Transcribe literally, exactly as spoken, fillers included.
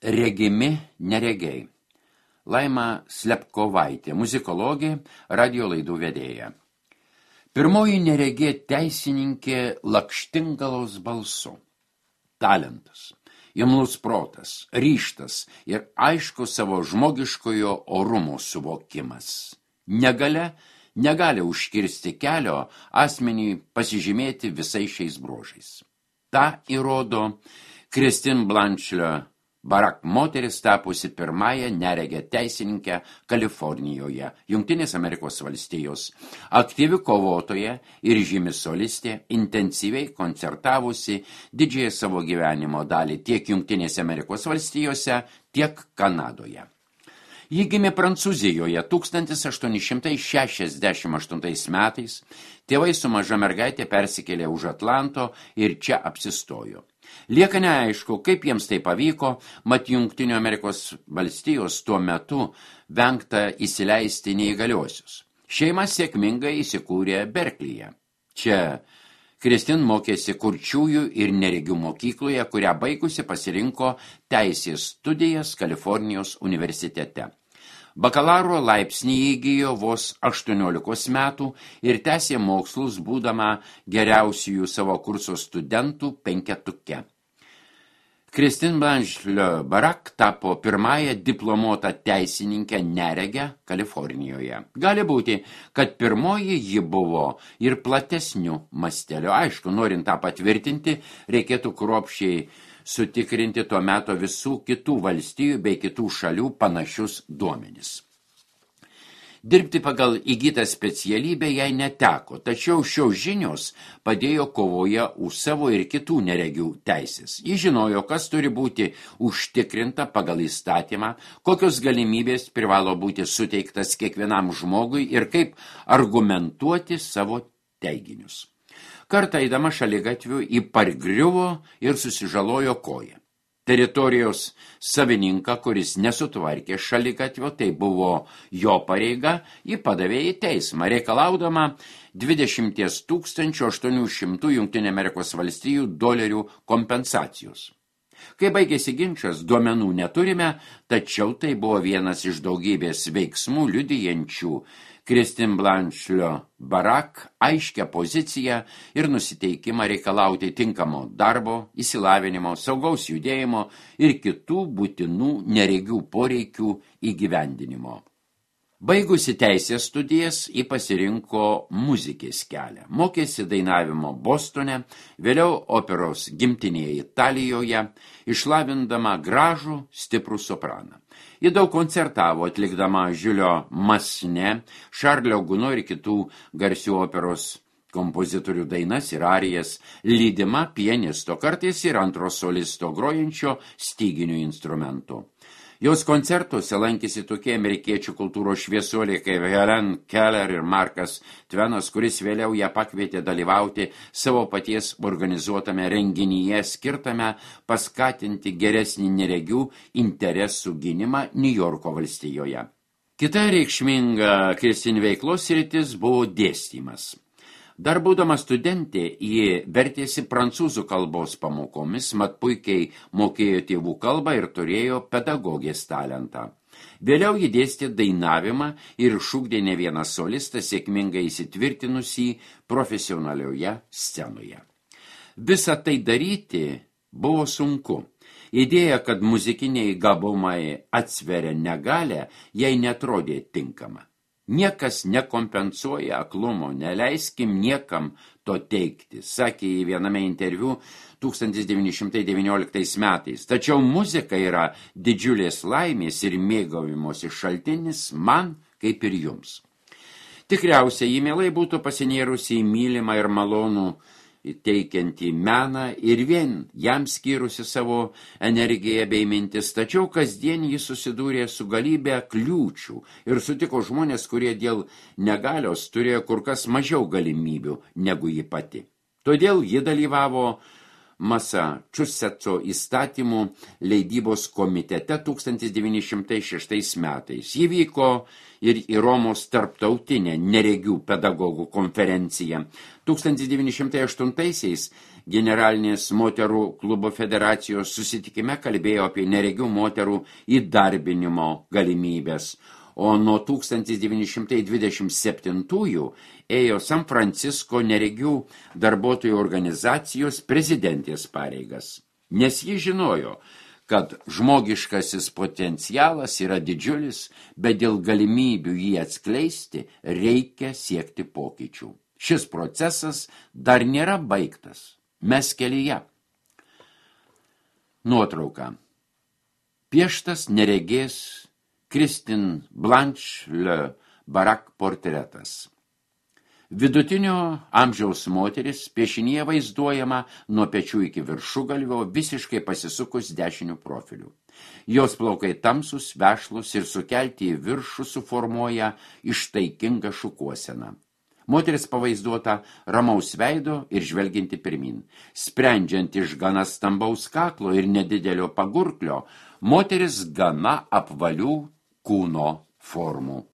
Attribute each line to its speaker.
Speaker 1: Regimi neregiai. Laima Slepkovaitė, muzikologė, radio laidų vedėja. Pirmoji neregė teisininkė lakštingalos balsu. Talentas, imlus protas, ryžtas ir aišku savo žmogiškojo orumo suvokimas. Negalia negali užkirsti kelio asmeniui pasižymėti visais šiais bruožais. Ta įrodo Christine Blanche Barak moteris tapusi pirmąją neregę teisininkę Kalifornijoje, Jungtinės Amerikos valstijos, aktyvi kovotoja ir žymi solistė, intensyviai koncertavusi didžiąją savo gyvenimo dalį tiek Jungtinėse Amerikos valstijose, tiek Kanadoje. Ji gimė Prancūzijoje tūkstantis aštuoni šimtai šešiasdešimt aštuntais metais, tėvai su maža mergaitė persikėlė už Atlanto ir čia apsistojo. Lieka neaišku, kaip jiems tai pavyko, mat Jungtinių Amerikos valstijos tuo metu vengta įsileisti neįgaliuosius. Šeima sėkmingai įsikūrė Berklyje. Čia Christine mokėsi kurčiųjų ir neregių mokykloje, kurią baigusi pasirinko teisės studijas Kalifornijos universitete. Bakalauro laipsnį įgijo vos aštuoniolikos metų ir tęsė mokslus būdama geriausiųjų savo kurso studentų penketuke. Christine Blanche Barak tapo pirmąją diplomuotą teisininkę neregę Kalifornijoje. Gali būti, kad pirmoji ji buvo ir platesniu masteliu. Aišku, norint tą patvirtinti, reikėtų kruopščiai sutikrinti tuo meto visų kitų valstijų bei kitų šalių panašius duomenis. Dirbti pagal įgytą specialybę jai neteko, tačiau šios žinios padėjo kovoje už savo ir kitų neregių teisės. Ji žinojo, kas turi būti užtikrinta pagal įstatymą, kokios galimybės privalo būti suteiktas kiekvienam žmogui ir kaip argumentuoti savo teiginius. Kartą eidama šaligatviu į pargriuvo ir susižalojo koją. Teritorijos savininką, kuris nesutvarkė šaligatvio, tai buvo jo pareiga, jį padavė į teismą, reikalaudama dvidešimt tūkstančių aštuonių šimtų Jungtinių Amerikos valstijų dolerių kompensacijos. Kai baigėsi ginčas, duomenų neturime, tačiau tai buvo vienas iš daugybės veiksmų liudijančių Christine Blanche Barak aiškią poziciją ir nusiteikimą reikalauti tinkamo darbo, įsilavinimo, saugaus judėjimo ir kitų būtinų neregių poreikių įgyvendinimo. Baigusi teisės studijas, ji pasirinko muzikės kelią. Mokėsi dainavimo Bostone, vėliau operos gimtinėje Italijoje, išlavindama gražų, stiprų sopraną. Ji daug koncertavo atlikdama Žiulio Masne, Šarlio Guno ir kitų garsių operos kompozitorių dainas ir arijas, lydima pianisto, kartais ir antro solisto grojančio styginių instrumentų. Jos koncertuose lankėsi tokie amerikiečių kultūros šviesuoliai kaip Helen Keller ir Markas Tvenas, kuris vėliau ją pakvietė dalyvauti savo paties organizuotame renginyje skirtame paskatinti geresnį neregių interesų gynimą Niujorko valstijoje. Kita reikšminga Christine veiklos sritis buvo dėstymas. Dar būdama studentė, ji vertėsi prancūzų kalbos pamokomis, mat puikiai mokėjo tėvų kalbą ir turėjo pedagogės talentą. Vėliau ji dėstė dainavimą ir šūkdė ne vieną solistą sėkmingai įsitvirtinusį profesionalioje scenoje. Visą tai daryti buvo sunku. Idėja, kad muzikiniai gabumai atsveria negalę, jai netrodė tinkama. Niekas nekompensuoja aklumo, neleiskim niekam to teikti, sakė į viename interviu tūkstantis devyni šimtai devynioliktais metais. Tačiau muzika yra didžiulės laimės ir mėgavimosi šaltinis man kaip ir jums. Tikriausiai ji mielai būtų pasinėrusi į mylimą ir malonų teikiantį meną ir vien jam skyrusi savo energiją bei mintis, tačiau kasdien jis susidūrė su galybė kliūčių ir sutiko žmonės, kurie dėl negalios turėjo kur kas mažiau galimybių negu ji pati. Todėl ji dalyvavo Masačusetso įstatymų leidybos komitete tūkstantis devyni šimtai šeštais metais. Ji vyko ir į Romos tarptautinę neregių pedagogų konferenciją. tūkstantis devyni šimtai aštuntaisiais generalinės moterų klubo federacijos susitikime kalbėjo apie neregių moterų įdarbinimo galimybės, o nuo tūkstantis devyni šimtai dvidešimt septintųjų ėjo San Francisko neregių darbuotojų organizacijos prezidentės pareigas, nes ji žinojo, kad žmogiškasis potencialas yra didžiulis, bet dėl galimybių jį atskleisti reikia siekti pokyčių. Šis procesas dar nėra baigtas. Mes kelyje. Nuotrauka. Pieštas neregės Christine Blanche Le Barak portretas. Vidutinio amžiaus moteris piešinyje vaizduojama nuo pečių iki viršugalvio visiškai pasisukus dešiniu profiliu. Jos plaukai tamsus, vešlus ir sukelti į viršų suformuoja ištaikingą šukuoseną. Moteris pavaizduota ramaus veido ir žvelginti pirmin. Sprendžiant iš gana stambaus kaklo ir nedidelio pagurklio, moteris gana apvalių kūno formų.